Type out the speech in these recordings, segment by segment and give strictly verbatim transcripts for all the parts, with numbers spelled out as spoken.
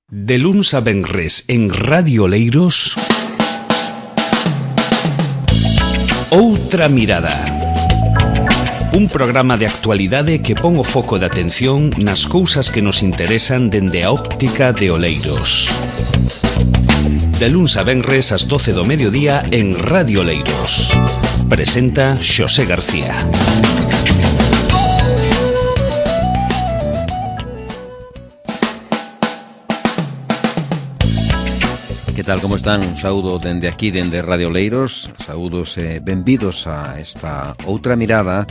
De luns a venres en Radio Oleiros, Outra Mirada. Un programa de actualidade que pon o foco de atención nas cousas que nos interesan dende a óptica de Oleiros. De luns a venres ás doce do mediodía en Radio Oleiros. Presenta Xosé García. Que tal, como están? Un saúdo dende aquí, dende Radio Oleiros. Saúdos e eh, benvidos a esta outra mirada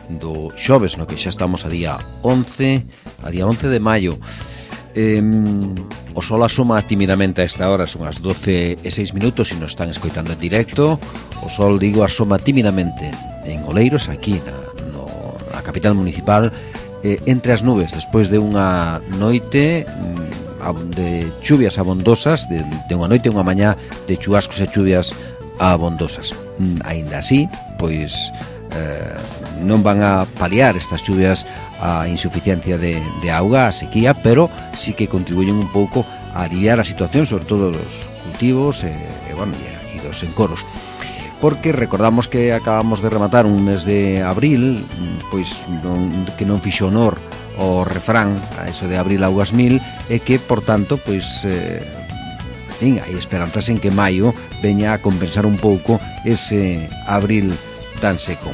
do xoves, no que xa estamos a día once, a día once de maio. Eh, o sol asoma timidamente a esta hora, son as doce e seis minutos e nos están escoitando en directo. O sol, digo, asoma timidamente en Oleiros, aquí na, no, na capital municipal, eh, entre as nubes, despois de unha noite de chuvias abondosas, de, de unha noite e unha mañá de chubascos e chuvias abondosas. Aínda así, pois eh, non van a paliar estas chuvias a insuficiencia de, de auga, a sequía, pero sí que contribuyen un pouco a aliviar a situación, sobre todo dos cultivos e, e, bueno, e, e dos encoros. Porque recordamos que acabamos de rematar un mes de abril, pois non, que non fixo honor o refrán a eso de abril augas mil, e que, por tanto, pois eh, fin, hai esperanzas en que maio veña a compensar un pouco ese abril tan seco.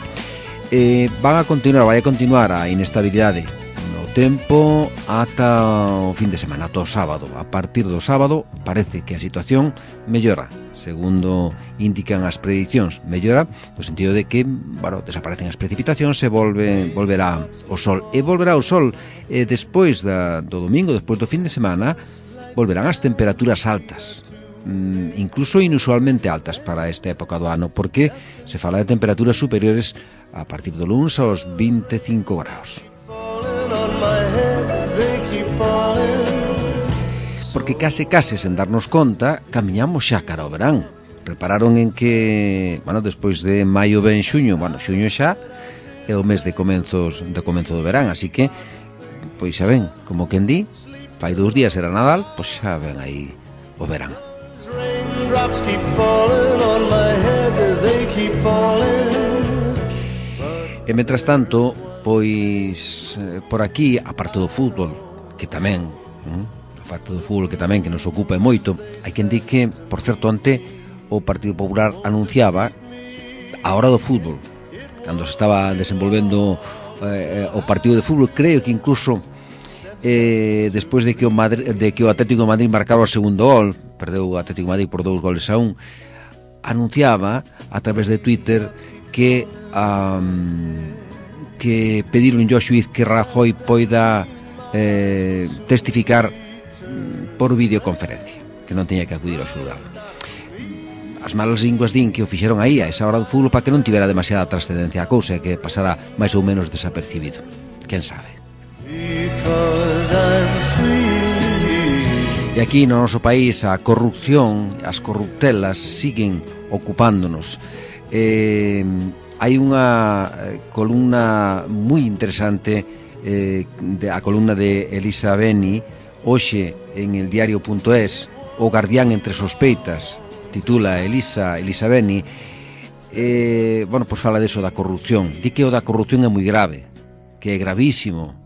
Eh, van a continuar, vai a continuar a inestabilidade no tempo ata o fin de semana, ata o sábado. A partir do sábado parece que a situación mellora, segundo indican as predicións, mellora no sentido de que, bueno, desaparecen as precipitacións e volve, volverá o sol. E volverá o sol e despois da, do domingo, despois do fin de semana, volverán as temperaturas altas, mm, incluso inusualmente altas para esta época do ano, porque se fala de temperaturas superiores a partir do luns aos vinte e cinco graus. Porque case case sen darnos conta camiñamos xa cara ao verán. Repararon en que, bueno, despois de maio ven xuño, bueno, xuño xa é o mes de comenzos de comenzo do verán, así que pois xa ven, como quen di, fai dous días era Nadal, pois xa ven aí o verán. E mentras tanto, pois por aquí, aparte do fútbol, que tamén, hm? parte do fútbol que tamén que nos ocupa moito, hai quen di que, por certo, ante o Partido Popular anunciaba a hora do fútbol, cando se estaba desenvolvendo eh, o partido de fútbol, creo que incluso eh, despois de que o Madrid, de que o Atlético de Madrid marcara o segundo gol, perdeu o Atlético de Madrid por dous goles a un, anunciaba a través de Twitter que um, que pediron ao xuíz que Rajoy poida eh, testificar por videoconferencia, que non tiña que acudir ao xulgado. As malas linguas din que o fixeron aí a esa hora do fútbol para que non tivera demasiada trascendencia a cousa, que pasara máis ou menos desapercibido. Quen sabe? E aquí no noso país a corrupción, as corruptelas siguen ocupándonos. Eh, hai unha columna moi interesante, eh, de, a columna de Elisa Beni, hoxe en el diario punto es, o guardián entre sospeitas, titula Elisa, Elisa Beni, eh, bueno, pois fala deso da corrupción. Di que o da corrupción é moi grave, que é gravísimo,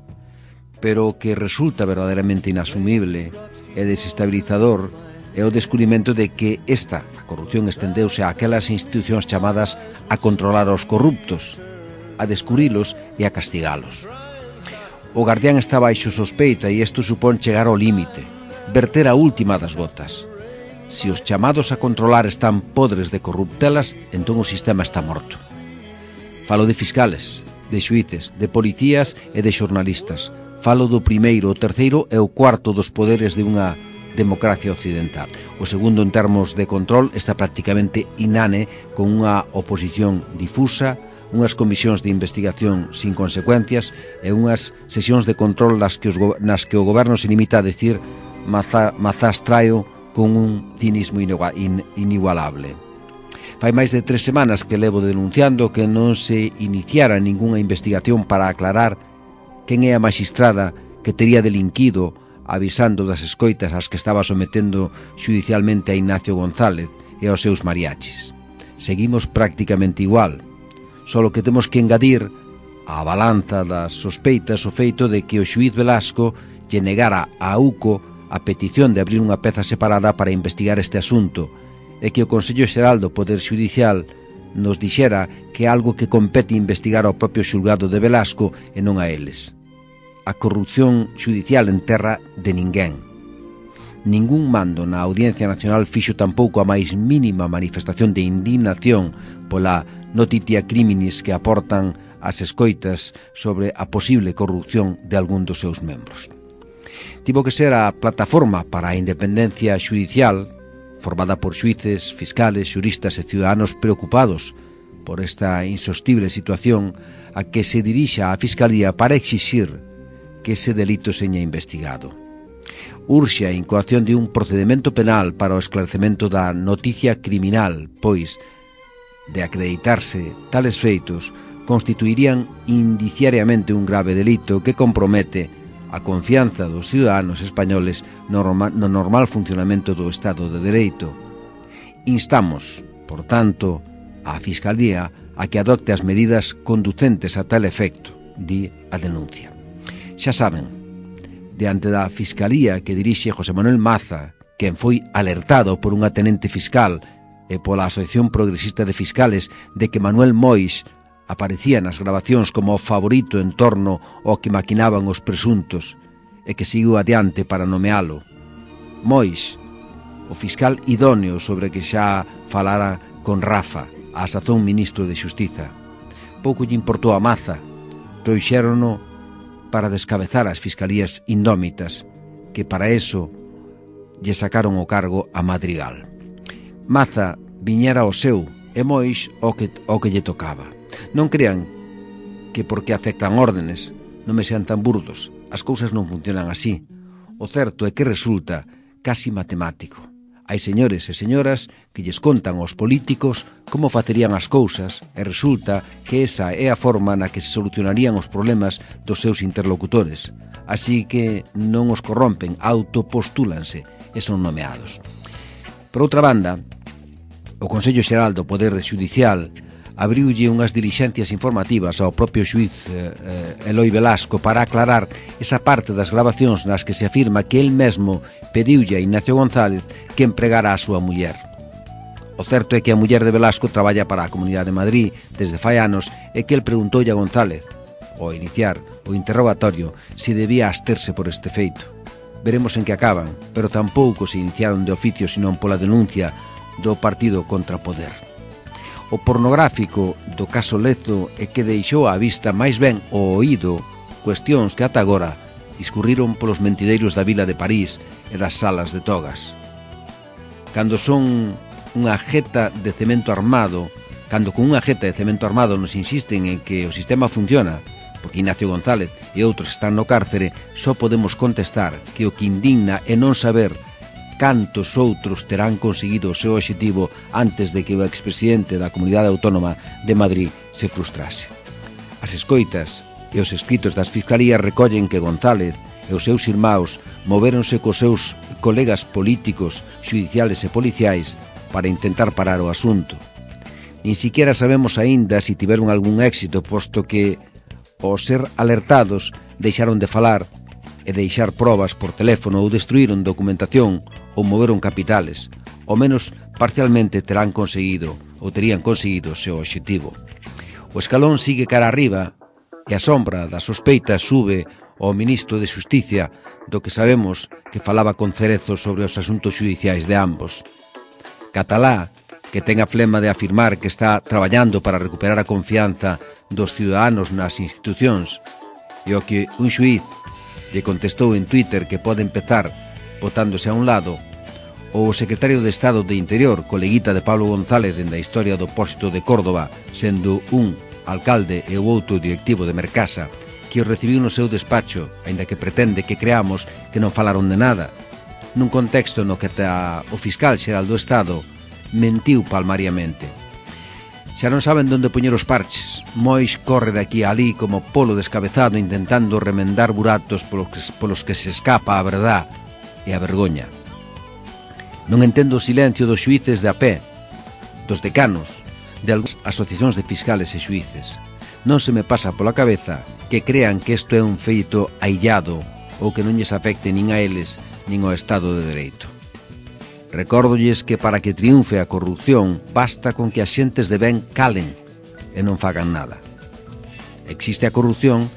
pero que resulta verdadeiramente inasumible e desestabilizador é o descubrimento de que esta, a corrupción, estendeuse a aquelas institucións chamadas a controlar aos corruptos, a descubrilos e a castigalos. O guardián está baixo sospeita e isto supón chegar ao límite, verter a última das gotas. Se os chamados a controlar están podres de corruptelas, entón o sistema está morto. Falo de fiscales, de xuíces, de policías e de xornalistas. Falo do primeiro, o terceiro e o cuarto dos poderes de unha democracia occidental. O segundo, en termos de control, está prácticamente inane, con unha oposición difusa, unhas comisións de investigación sin consecuencias e unhas sesións de control nas que, os, nas que o goberno se limita a decir mazá, mazás traio con un cinismo in, inigualable. Fai máis de tres semanas que levo denunciando que non se iniciara ningunha investigación para aclarar quen é a maxistrada que tería delinquido avisando das escoitas ás que estaba sometendo xudicialmente a Ignacio González e aos seus mariachis. Seguimos prácticamente igual, solo que temos que engadir á balanza das sospeitas o feito de que o xuíz Velasco lle negara a UCO a petición de abrir unha peza separada para investigar este asunto e que o Consello Xeral do Poder Xudicial nos dixera que é algo que compete investigar ao propio xulgado de Velasco e non a eles. A corrupción xudicial en terra de ninguén. Ningún mando na Audiencia Nacional fixo tampouco a máis mínima manifestación de indignación pola notitia criminis que aportan as escoitas sobre a posible corrupción de algún dos seus membros. Tivo que ser a Plataforma para a Independencia Xudicial, formada por xuíces, fiscales, xuristas e ciudadanos preocupados por esta insostible situación, a que se dirixa a Fiscalía para exixir que ese delito seña investigado. Urxe a incoación de un procedimento penal para o esclarecemento da noticia criminal, pois, de acreditarse tales feitos, constituirían indiciariamente un grave delito que compromete a confianza dos ciudadanos españoles no normal funcionamento do Estado de Dereito. Instamos, por tanto, á Fiscalía a que adopte as medidas conducentes a tal efecto, di a denuncia. Xa saben, diante da Fiscalía que dirixe José Manuel Maza, quen foi alertado por unha tenente fiscal e pola Asociación Progresista de Fiscales de que Manuel Mois aparecía nas grabacións como o favorito en torno ao que maquinaban os presuntos e que seguiu adiante para nomealo. Mois, o fiscal idóneo sobre que xa falara con Rafa, a sazón ministro de Xustiza. Pouco lle importou a Maza, trouxérono para descabezar as fiscalías indómitas, que para eso lle sacaron o cargo a Madrigal. Maza viñera ao seu e Mois o que, o que lle tocaba. Non crean que porque aceptan órdenes non me sean tan burdos. As cousas non funcionan así. O certo é que resulta casi matemático. Hai señores e señoras que lles contan aos políticos como facerían as cousas e resulta que esa é a forma na que se solucionarían os problemas dos seus interlocutores. Así que non os corrompen, autopostúlanse e son nomeados. Por outra banda, o Consello Xeral do Poder Xudicial abriulle unhas dilixencias informativas ao propio xuíz eh, Eloi Velasco para aclarar esa parte das grabacións nas que se afirma que el mesmo pediulle a Ignacio González que empregara a súa muller. O certo é que a muller de Velasco traballa para a Comunidade de Madrid desde fai anos e que el preguntoulle a González, ao iniciar o interrogatorio, se debía absterse por este feito. Veremos en que acaban, pero tampouco se iniciaron de oficio senón pola denuncia do Partido Contra Poder. O pornográfico do caso Lezo é que deixou á vista máis ben o oído cuestións que ata agora discurriron polos mentideiros da vila de París e das salas de togas. Cando son unha jeta de cemento armado, cando con unha jeta de cemento armado nos insisten en que o sistema funciona, porque Ignacio González e outros están no cárcere, só podemos contestar que o que indigna é non saber cantos outros terán conseguido o seu obxectivo antes de que o expresidente da Comunidade Autónoma de Madrid se frustrase. As escoitas e os escritos das fiscalías recollen que González e os seus irmãos movéronse cos seus colegas políticos, xudiciales e policiais para intentar parar o asunto. Nin siquiera sabemos aínda se tiveron algún éxito, posto que, ao ser alertados, deixaron de falar e deixar probas por teléfono ou destruíron documentación ou moveron capitales, ao menos parcialmente terán conseguido ou terían conseguido o seu obxectivo. O escalón sigue cara arriba e a sombra da sospeita sube ao ministro de Xusticia, do que sabemos que falaba con Cerezo sobre os asuntos xudiciais de ambos. Catalá, que ten a flema de afirmar que está traballando para recuperar a confianza dos ciudadanos nas institucións, e o que un xuíz lle contestou en Twitter que pode empezar botándose a un lado, ou o secretario de Estado de Interior, coleguita de Pablo González dende a historia do pósito de Córdoba, sendo un alcalde e o outro directivo de Mercasa, que o recibiu no seu despacho, aínda que pretende que creamos que non falaron de nada, nun contexto no que o fiscal xeral do Estado mentiu palmariamente. xa non saben onde poñer os parches. Mois corre de aquí a alí como polo descabezado intentando remendar buratos polos que, polos que se escapa a verdad e a vergoña. Non entendo o silencio dos xuíces de a pé, dos decanos, de algúns asociacións de fiscales e xuíces. Non se me pasa pola cabeza que crean que isto é un feito aillado ou que non lles afecte nin a eles nin ao Estado de Dereito. Recórdolles que para que triunfe a corrupción basta con que as xentes de ben calen e non fagan nada. Existe a corrupción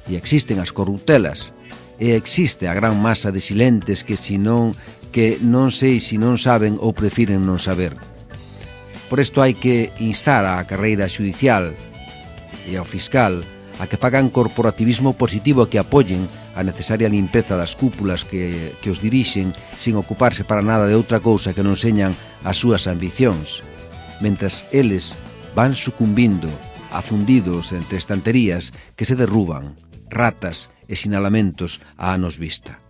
e existen as corruptelas e existe a gran masa de silentes que si non que non sei se non saben ou prefiren non saber. Por isto hai que instar á carreira xudicial e ao fiscal a que fagan corporativismo positivo e que apoyen a necesaria limpeza das cúpulas que, que os dirixen sin ocuparse para nada de outra cousa que non señan as súas ambicións, mentras eles van sucumbindo, afundidos entre estanterías que se derruban, ratas e sinalamentos a anos vista.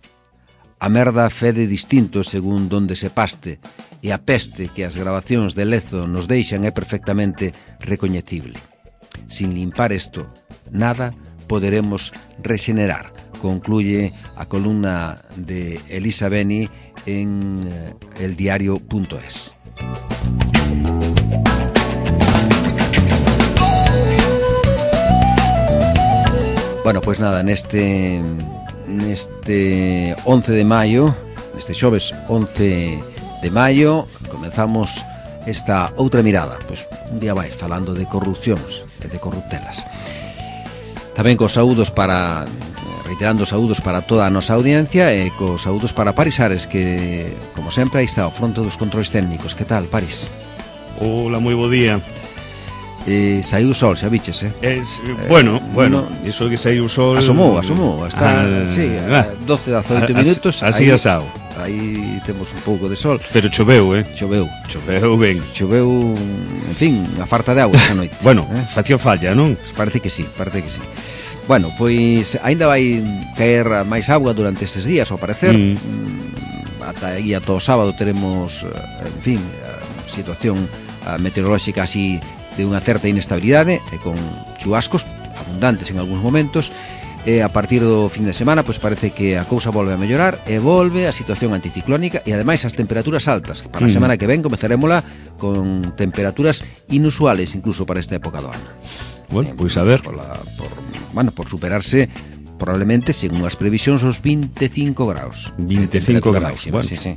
A merda fede distinto según donde se paste e a peste que as grabacións de Lezo nos deixan é perfectamente recoñecible. Sin limpar isto, nada poderemos rexenerar, concluye a columna de Elisa Beni en eldiario punto es. Bueno, pois pues nada, neste neste once de maio, neste xoves once de maio, comenzamos esta outra mirada, pois un día máis falando de corrupcións e de corruptelas. Tamén cos saúdos para, reiterando saúdos para toda a nosa audiencia e cos saúdos para Paris Ares, que, como sempre, aí está ao fronte dos controis técnicos. Que tal, Paris? Hola, moi bo día. Eh, saiu o sol, xa biches, eh? Es, bueno, eh, bueno, no, iso que saiu o sol... Asomou, asomou, está, ah, sí, ah, doce, dezaoito minutos. Así asado. Aí temos un pouco de sol. Pero choveu, eh? Choveu. Choveu ben. Choveu, en fin, a farta de agua esta noite. Bueno, eh? facía falla, non? Parece que sí, parece que sí. Bueno, pois aínda vai caer máis agua durante estes días, ao parecer. Mm. Ata aí ata o sábado teremos, en fin, a situación meteorolóxica así de unha certa inestabilidade e con chubascos abundantes en algúns momentos. E a partir do fin de semana pois parece que a cousa volve a mellorar e volve a situación anticiclónica e ademais as temperaturas altas. Para a semana que ven comezarémola con temperaturas inusuales incluso para esta época do ano. Bueno, pois a ver. Por, la, por, bueno, por superarse probablemente, según as previsións, os veinticinco graus. veinticinco graus, máxima, bueno. Sí, sí.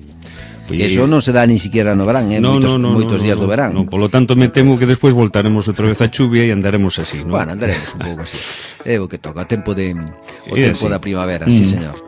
Que eso non se dá ni siquiera no verán, eh? no, moitos, no, no, moitos no, días no, do verán. no, Polo tanto me temo que despois voltaremos outra vez a chuvia e andaremos así, ¿no? Bueno, andaremos un pouco así. É o que toca, tempo de o é tempo así. da primavera, mm. sí, señor.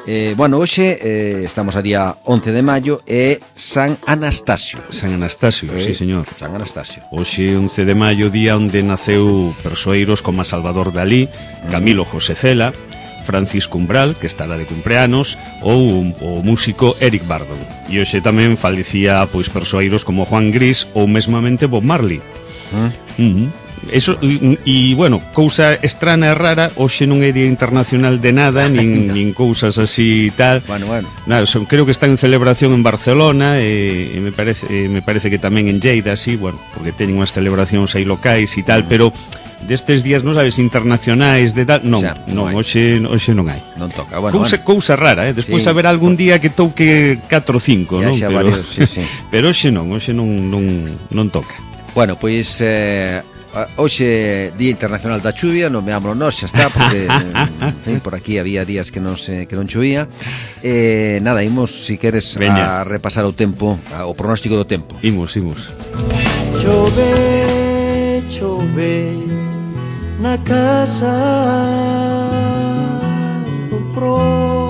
Eh, bueno, hoxe eh, estamos a día once de maio e San Anastasio. San Anastasio, eh, sí, señor. San Anastasio. Hoxe once de maio, día onde naceu persoeiros como Salvador Dalí, Camilo José Cela, Francisco Umbral, que estará de cumpleanos, ou o músico Eric Burdon. E hoxe tamén falecía pois persoeiros como Juan Gris ou mesmamente Bob Marley. ¿Mm? Uh-huh. Eso, e, e, bueno, cousa estrana e rara, hoxe non é día internacional de nada, nin, nin cousas así e tal. Bueno, bueno. Nada, son, creo que está en celebración en Barcelona e, e me parece e me parece que tamén en Lleida, así, bueno, porque teñen unhas celebracións aí locais e tal, mm. pero destes días, non sabes, internacionais de tal, non, xa, non, non hoxe, hoxe non hai. Non toca, bueno, cousa, bueno. cousa rara, eh? Despois sí. haberá algún día que touque catro ou cinco, non? Pero, varios, sí, sí. pero hoxe non, hoxe non, non, non toca. Bueno, pois eh, hoxe Día Internacional da Chuvia, non veámoslo nós, xa está, porque en fin, por aquí había días que non se que non chovía. Eh, nada, imos, si queres, Veña. a repasar o tempo, a, o pronóstico do tempo. Imos, imos. Chove, chove na casa do prove.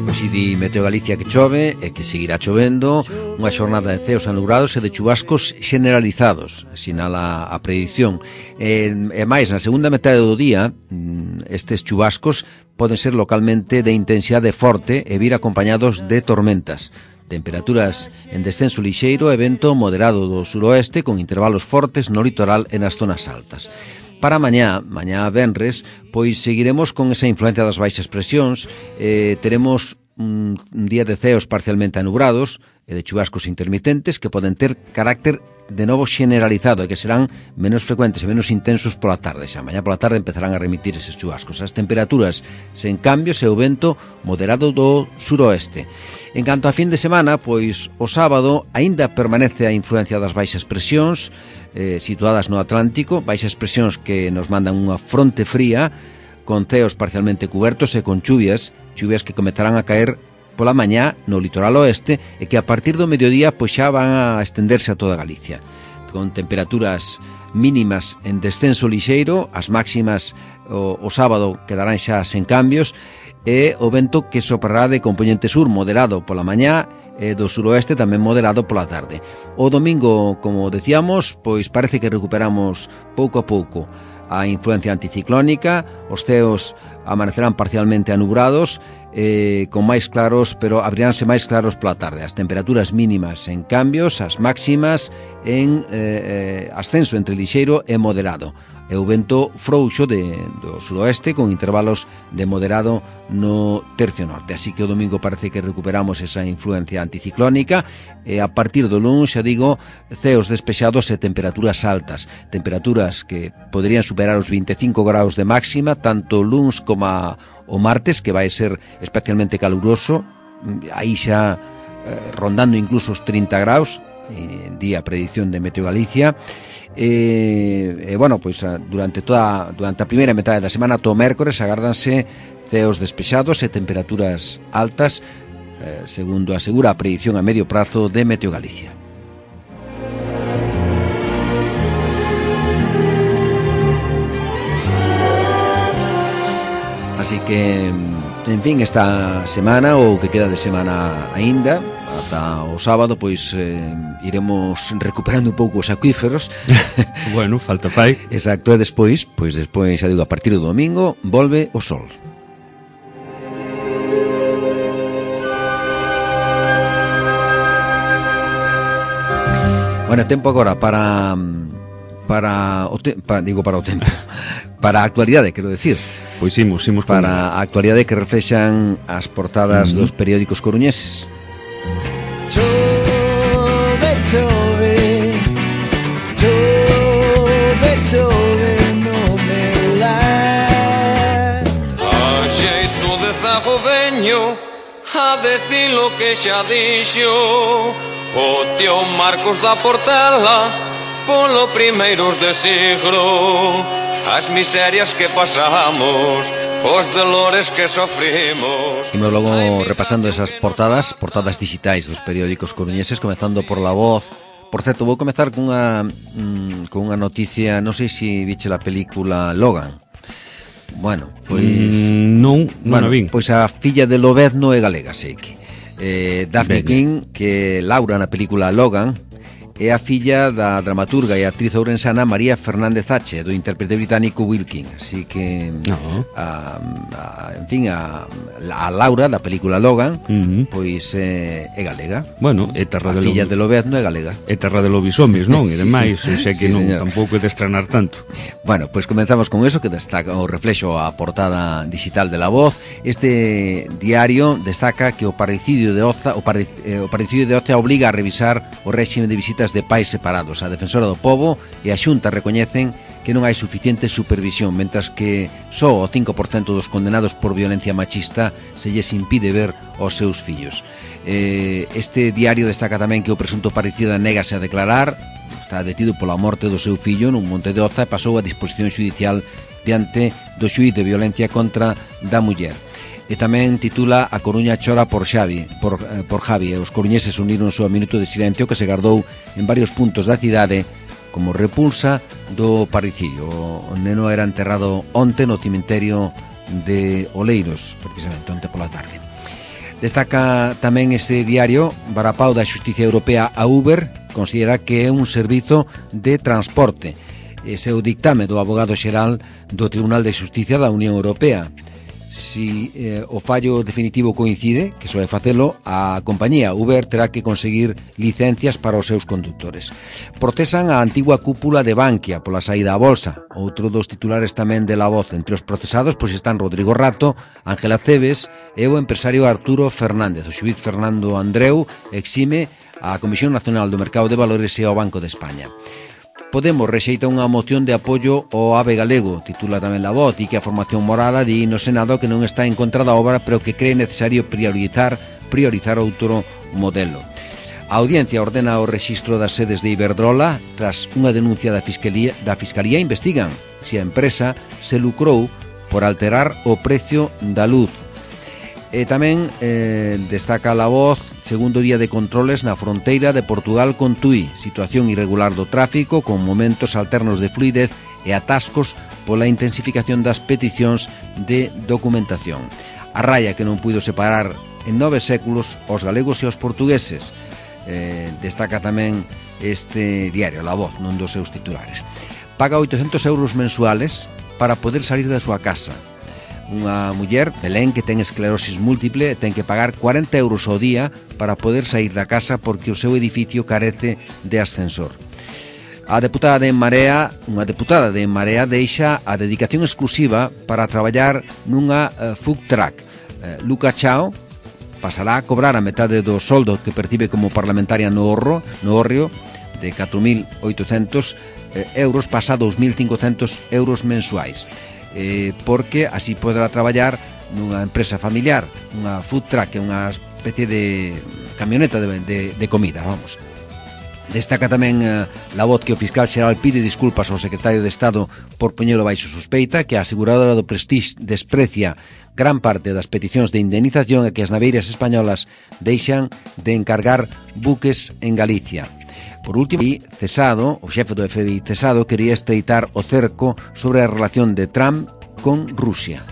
Pois di Meteo Galicia que chove e que seguirá chovendo, unha xornada de ceos anubrados e de chubascos generalizados, sinala a predición. E, e máis, na segunda metade do día, estes chubascos poden ser localmente de intensidade forte e vir acompañados de tormentas. Temperaturas en descenso lixeiro e vento moderado do suroeste con intervalos fortes no litoral e nas zonas altas. Para mañá, mañá venres, pois seguiremos con esa influencia das baixas presións, eh, teremos un, un día de ceos parcialmente anubrados e de chubascos intermitentes que poden ter carácter de novo generalizado e que serán menos frecuentes e menos intensos pola tarde. Xa mañá pola tarde empezarán a remitir eses chubascos. As temperaturas sen cambios e o vento moderado do suroeste. En canto a fin de semana, pois o sábado aínda permanece a influencia das baixas presións eh, situadas no Atlántico, baixas presións que nos mandan unha fronte fría con ceos parcialmente cubertos e con chuvias, chuvias que comezarán a caer pola mañá no litoral oeste e que a partir do mediodía pois xa van a estenderse a toda Galicia, con temperaturas mínimas en descenso lixeiro, as máximas o, o sábado quedarán xa sen cambios, e o vento que soprará de componente sur moderado pola mañá e do suroeste tamén moderado pola tarde. O domingo, como decíamos, pois parece que recuperamos pouco a pouco a influencia anticiclónica, os ceos amanecerán parcialmente anubrados, eh, con máis claros, pero abriránse máis claros pola tarde. As temperaturas mínimas en cambios, as máximas en eh, eh, ascenso entre lixeiro e moderado. E o vento frouxo de, do suroeste con intervalos de moderado no tercio norte. Así que o domingo parece que recuperamos esa influencia anticiclónica e a partir do luns, xa digo, ceos despexados e temperaturas altas. Temperaturas que poderían superar os vinte e cinco graus de máxima, tanto o luns como a, o martes, que vai ser especialmente caluroso, aí xa eh, rondando incluso os trinta graus, en día a predicción de Meteo Galicia. E, e bueno, pois durante toda durante a primeira metade da semana ata o mércores agárdanse ceos despexados e temperaturas altas, eh, segundo asegura a predicción a medio prazo de Meteo Galicia. Así que, en fin, esta semana ou que queda de semana aínda ata o sábado, pois eh, iremos recuperando un pouco os acuíferos. Bueno, falta fai. Exacto, e despois, pois despois, xa digo, a partir do domingo volve o sol. Bueno, tempo agora para para o te, para, digo para o tempo. Para a actualidade, quero decir. Pois imos, imos para a actualidade que reflexan as portadas uh-huh. dos periódicos coruñeses. Chove, chove, chove, chove no meu lar. A xeito de zago veño a decir lo que xa dixo o tío Marcos da Portela polo primeiros de siglo. As miserias que pasamos, os dolores que sofrimos. Imos logo repasando esas portadas, portadas digitais dos periódicos coruñeses, comezando por La Voz. Por certo, vou comezar cunha mmm, con unha noticia, non sei se viche a película Logan. Bueno, pois mm, non, non bueno, a vin. Pois a filla de Lobezno é galega, sei que. Eh, Daphne Quinn, que Laura na película Logan, é a filla da dramaturga e actriz ourensana María Fernández H, do intérprete británico Will King. Así que, no. a, a, en fin, a, a Laura da película Logan, uh-huh. pois é, é galega. Bueno, é terra a de filla de Lobezno é galega. É terra de lobisomes, non? E sí, demais, sí. sei que sí, non, señor. tampouco é de estrenar tanto. Bueno, pois comenzamos con eso, que destaca o reflexo a portada digital de La Voz. Este diario destaca que o parricidio de Oza, o, pare, eh, o parricidio de Oza obliga a revisar o réxime de visitas de pais separados. A Defensora do Pobo e a Xunta recoñecen que non hai suficiente supervisión, mentras que só o cinco por cento dos condenados por violencia machista se lles impide ver os seus fillos. Eh, este diario destaca tamén que o presunto parricida négase a declarar, está detido pola morte do seu fillo nun monte de Oza e pasou a disposición judicial diante do xuíz de violencia contra da muller. E tamén titula A Coruña chora por Xavi, por, eh, por Javi. Os coruñeses uniron o minuto de silencio que se gardou en varios puntos da cidade como repulsa do parricidio. O neno era enterrado onte no cemiterio de Oleiros, precisamente onte pola tarde. Destaca tamén este diario varapau da Xustiza Europea a Uber, considera que é un servizo de transporte. Ese é o dictame do abogado xeral do Tribunal de Xustiza da Unión Europea. Si eh, o fallo definitivo coincide, que soe facelo, a compañía Uber terá que conseguir licencias para os seus conductores. Procesan a antigua cúpula de Bankia pola saída á bolsa. Outro dos titulares tamén de La Voz. Entre os procesados pois están Rodrigo Rato, Ángela Cebes e o empresario Arturo Fernández. O xuíz Fernando Andreu exime a Comisión Nacional do Mercado de Valores e ao Banco de España. Podemos rexeita unha moción de apoio ao AVE galego, titula tamén La Voz, e que a formación morada di no Senado que non está en contra da obra, pero que cree necesario priorizar priorizar outro modelo. A Audiencia ordena o rexistro das sedes de Iberdrola tras unha denuncia da Fiscalía, da Fiscalía investigan se a empresa se lucrou por alterar o precio da luz. E tamén eh, destaca La Voz segundo día de controles na fronteira de Portugal con Tui, situación irregular do tráfico con momentos alternos de fluidez e atascos pola intensificación das peticións de documentación. A raya que non puido separar en nove séculos os galegos e os portugueses. Eh, destaca tamén este diario, La Voz, nun dos seus titulares. Paga oitocentos euros mensuales para poder salir da súa casa. Unha muller, Belén, que ten esclerosis múltiple, ten que pagar cuarenta euros ao día para poder sair da casa porque o seu edificio carece de ascensor. A deputada de En Marea, unha deputada de En Marea deixa a dedicación exclusiva para traballar nunha uh, food truck. Uh, Luca Chao pasará a cobrar a metade do soldo que percibe como parlamentaria no Orro, no Orrio, de catro mil oitocentos euros, pasa a dous mil cincocentos euros mensuais. Eh, porque así poderá traballar nunha empresa familiar, unha food truck, unha especie de camioneta de, de, de comida, vamos. Destaca tamén eh, La Voz que o fiscal xeral pide disculpas ao secretario de Estado por poñelo baixo sospeita, que a aseguradora do Prestige desprecia gran parte das peticións de indemnización e que as naveiras españolas deixan de encargar buques en Galicia. Por último, cesado, o xefe do F B I cesado quería estreitar o cerco sobre a relación de Trump con Rusia.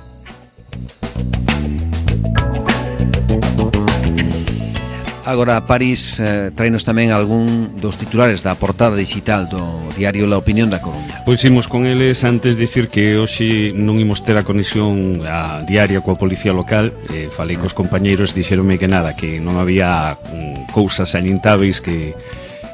Agora, París eh, traenos tamén algún dos titulares da portada digital do diario La Opinión da Coruña. Pois imos con eles. Antes dicir que hoxe non imos ter a conexión a diaria coa policía local. eh, Falei cos compañeiros, dixeronme que nada, que non había mm, cousas salientáveis que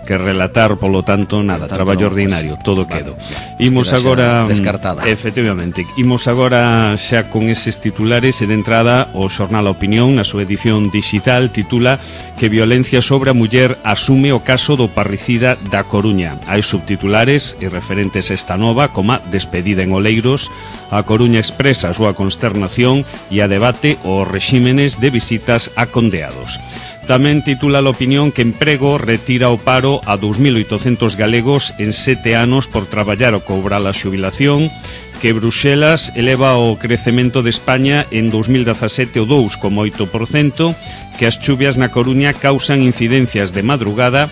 que relatar, polo tanto, nada, tanto traballo no, ordinario, pues, todo vale, quedo. Imos agora descartada. Efectivamente, imos agora xa con eses titulares e de entrada o xornal A Opinión na súa edición digital titula que violencia sobre a muller asume o caso do parricida da Coruña. Hai subtitulares e referentes a esta nova, como despedida en Oleiros, a Coruña expresa a súa consternación e a debate os rexímenes de visitas a condeados. Tamén titula a Opinión que Emprego retira o paro a dous mil oitocentos galegos en sete anos por traballar ou cobrar a xubilación, que Bruxelas eleva o crecemento de España en dous mil dezasete o dous coma oito por cento, que as chuvias na Coruña causan incidencias de madrugada,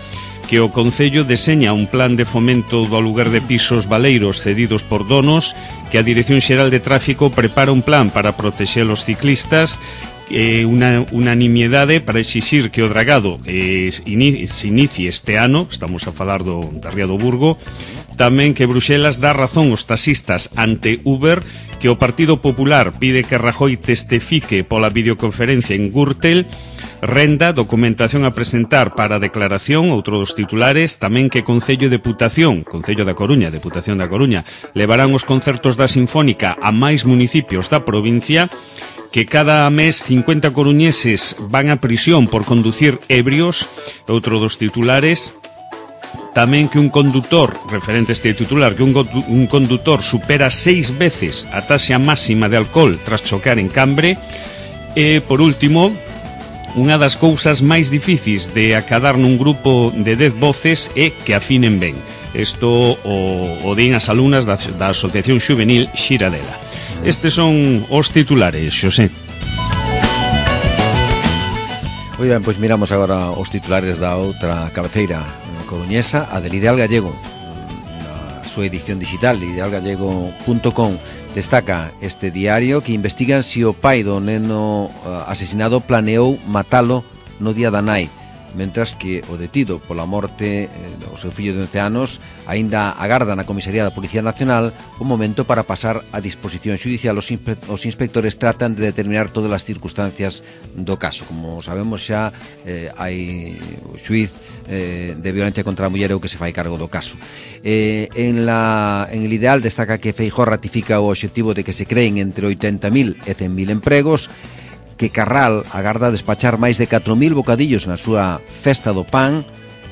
que o Concello deseña un plan de fomento do aluguer de pisos baleiros cedidos por donos, que a Dirección Xeral de Tráfico prepara un plan para protexer os ciclistas, Eh, unha unanimidade para exixir que o dragado eh, ini, se inicie este ano. Estamos a falar do, da Ría do Burgo. Tamén que Bruxelas dá razón aos taxistas ante Uber, que o Partido Popular pide que Rajoy testifique pola videoconferencia en Gürtel. Renda, documentación a presentar para a declaración, outro dos titulares. Tamén que Concello de Deputación, Concello da Coruña, Deputación da Coruña, levarán os concertos da Sinfónica a máis municipios da provincia, que cada mes cincuenta coruñeses van a prisión por conducir ebrios, outro dos titulares. Tamén que un condutor, referente a este titular, que un, un condutor supera seis veces a taxa máxima de alcohol tras chocar en Cambre. E, por último, unha das cousas máis difíciles de acadar nun grupo de dez voces é que afinen ben. Isto o, o din as alumnas da, da Asociación Xuvenil Xiradela. Estes son os titulares, Xosé. Moi ben, pois miramos agora os titulares da outra cabeceira coruñesa, a del Ideal Gallego. Na súa edición digital, ideal gallego punto com, destaca este diario que investigan se o pai do neno asesinado planeou matalo no día da nai. mentras que o detido pola morte eh, do seu fillo de once anos aínda agarda na comisaría da Policía Nacional o momento para pasar a disposición xudicial. Os, inspe os inspectores tratan de determinar todas as circunstancias do caso. Como sabemos xa, eh, hai o xuiz eh, de violencia contra a muller o que se fai cargo do caso. Eh, en, la, en el ideal destaca que Feijóo ratifica o obxectivo de que se creen entre oitenta mil e cen mil empregos, que Carral agarda despachar máis de catro mil bocadillos na súa festa do pan,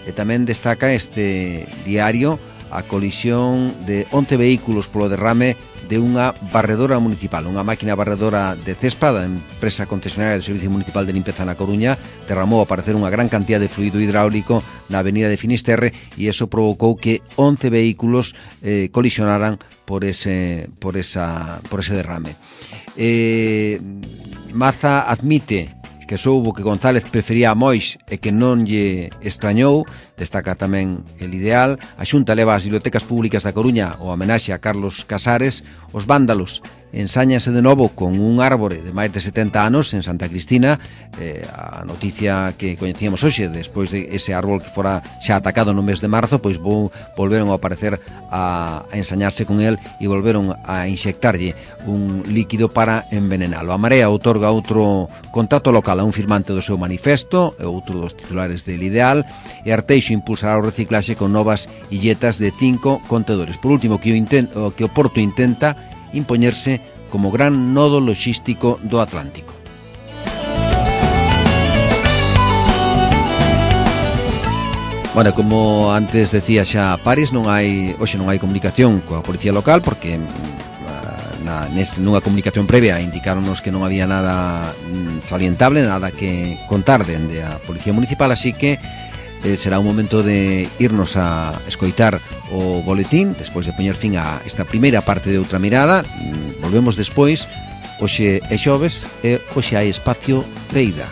e tamén destaca este diario a colisión de once vehículos polo derrame de unha barredora municipal. Unha máquina barredora de Cespa, da empresa concesionaria do Servicio Municipal de Limpeza na Coruña, derramou a parecer unha gran cantidad de fluido hidráulico na avenida de Finisterre, e eso provocou que once vehículos eh, colisionaran por ese, por, esa, por ese derrame. Eh... Maza admite que soubo que González prefería a Moix e que non lle extrañou. Destaca tamén el ideal. A Xunta leva ás bibliotecas públicas da Coruña o homenaxe a Carlos Casares. Os vándalos ensáñanse de novo con un árbore de máis de setenta anos en Santa Cristina. Eh, a noticia que coñecíamos hoxe, despois de ese árbol que fora xa atacado no mes de marzo, pois vou, volveron a aparecer a, a ensañarse con el e volveron a inxectarlle un líquido para envenenalo. A Marea outorga outro contrato local a un firmante do seu manifesto, e outro dos titulares del ideal, e Arteixo impulsará o reciclaxe con novas illetas de cinco contedores. Por último, que o, inten que o Porto intenta impoñerse como gran nodo logístico do Atlántico. Bueno, como antes decía xa Paris, non hai hoxe non hai comunicación coa policía local, porque na, neste, nunha comunicación previa indicaronos que non había nada salientable, nada que contar dende a Policía Municipal, así que eh, será un momento de irnos a escoitar o boletín despois de poñer fin a esta primeira parte de Outra Mirada. Volvemos despois. Hoxe é xoves e hoxe hai espacio de ida.